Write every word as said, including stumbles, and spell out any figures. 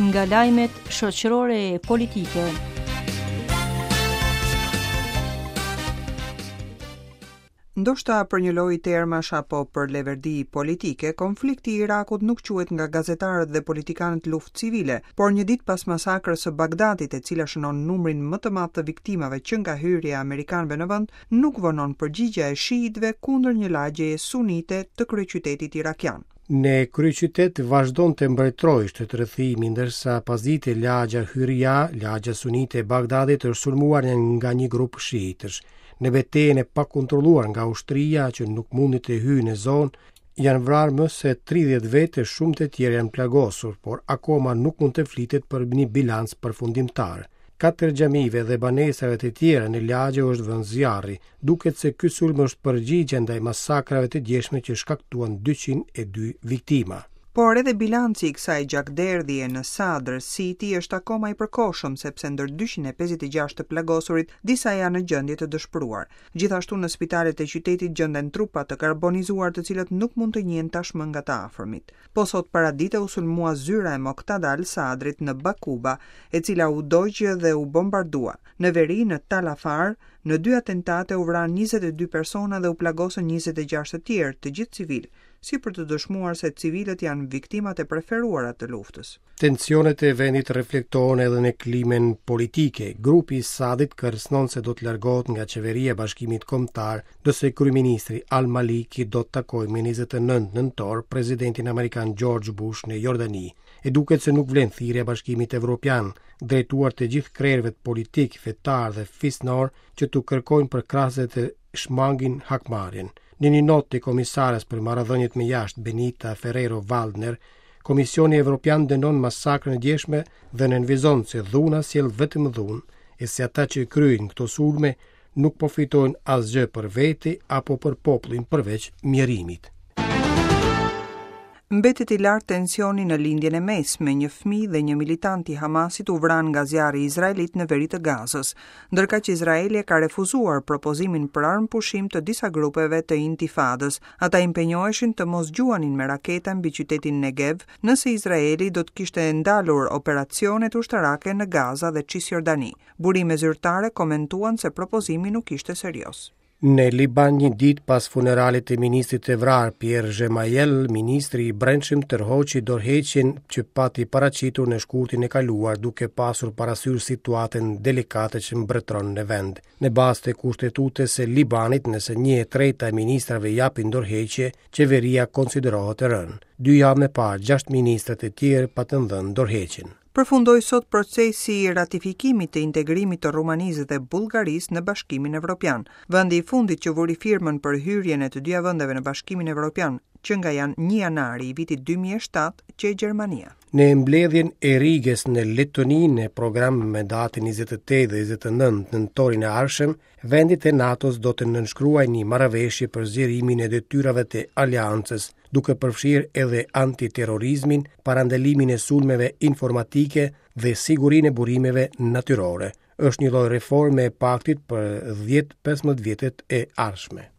Nga lajmet shoqërore e politike. Ndoshta për një lojë termash apo për leverdi politike, konflikti i Irakut nuk quhet nga gazetarët dhe politikanët luftë civile, por një ditë pas masakrës së Bagdadit, e cila shënon numrin më të madh të viktimave që nga hyrja e amerikanëve në vend, nuk vonon përgjigja e shiitëve kundër një lagjeje sunite të kryeqytetit irakian. Në kryeqytet vazhdon të mbretërojë shtetrrethimi, ndërsa pasdite lagja Hyrja, lagja sunite e Bagdadit, është sulmuar nga një grup shiitësh. Në betejën e pakontrolluar nga ushtria që nuk mundi të hyjë në zonë, janë vrarë më se tridhjetë vetë e shumë të tjerë janë plagosur, por akoma nuk mund të flitet për një bilanc përfundimtar. Katër xhamive dhe banesave të tjera në lagje është vënë zjarri. Duket se ky sulm është përgjigje ndaj masakrave të djeshme që shkaktuan dyqind e dy viktima. Por edhe bilanci i kësaj gjakderdhje në Sadr City është akoma i përkohshëm, sepse ndër dyqind e pesëdhjetë e gjashtë të plagosurit, disa janë në gjendje të dëshpëruar. Gjithashtu në spitalet e qytetit gjenden trupa të karbonizuar të cilët nuk mund të njihen tashmë nga të afërmit. Po sot paradite u sulmua zyra e Moqtada al-Sadrit në Bakuba, e cila u dogj dhe u bombardua. Në veri, në Tal Afar, në dy atentate u vranë njëzet e dy persona dhe u plagosën njëzet e gjashtë të tjerë, të gjithë civil, si për të dëshmuar se civilët janë viktimat e preferuara të luftës. Tensionet e vendit reflektohen edhe në klimën politike. Grupi i Sadit kërcënon se do të largohet nga qeveria e Bashkimit Kombëtar, ndërsa kryeministri Al-Maliki do të takojë më njëzet e nëntë nëntor presidentin amerikan George Bush në Jordani. E duket se nuk vlen thirrja e Bashkimit Evropian, drejtuar të gjithë krerëve politik, fetar dhe fisnor që t'u kërkojnë përkrahësve të shmangin hakmarrjen. Në një notë të komisares për marrëdhëniet me jashtë Benita Ferrero Waldner, Komisioni Evropian dënon masakrën e djeshme dhe nënvizon se dhuna sjell vetëm dhunë, e se ata që kryejnë këto sulme nuk po fitojnë asgjë për vete apo për popullin përveç mjerimit. Mbetet i lartë tensioni në lindjen e mesme, një fëmijë dhe një militant i Hamasit u vran nga zjarri izraelit në veri të Gazës, ndërkaq Izraeli ka refuzuar propozimin për armëpushim të disa grupeve të intifadës. Ata impenjoheshin të mos gjuanin me raketa mbi qytetin Negev nëse Izraeli do të kishte ndalur operacionet ushtarake në Gaza dhe Cisjordani. Burime zyrtare komentuan se propozimi nuk ishte serioz. Në Liban, një ditë pas funeralit të ministrit të vrarë Pierre Gemayel, ministri i Brendshëm tërhoqi dorëheqjen që pati paraqitur në shkurtin e kaluar, duke pasur parasysh situatën delikate që mbretëron në vend. Në bazë të kushtetutës së Libanit, nëse një e treta e ministrave japin dorëheqje, qeveria konsiderohet e rënë. Dy javë më parë, gjashtë ministrat e tjerë patën dhënë dorëheqjen. Përfundoi sot procesi i ratifikimit të integrimit të Rumanisë dhe Bullgarisë në Bashkimin Evropian. Vendi i fundit që vuri firmën për hyrjen e të dyja vendeve në Bashkimin Evropian, që nga janë një janari i vitit dy mijë e shtatë, që e Gjermania. Në mbledhjen e Rigës në Letoni, në program me datën njëzet e tetë dhe njëzet e nëntë nëntorin e ardhshëm, vendet e NATO-s do të nënshkruajnë një marrëveshje për zgjerimin e detyrave të aleancës, duke përfshirë edhe antiterrorizmin, parandalimin e sulmeve informatike dhe sigurinë e burimeve natyrore. Është një lloj reforme e paktit për dhjetë pesëmbëdhjetë vjetët e ardhshme.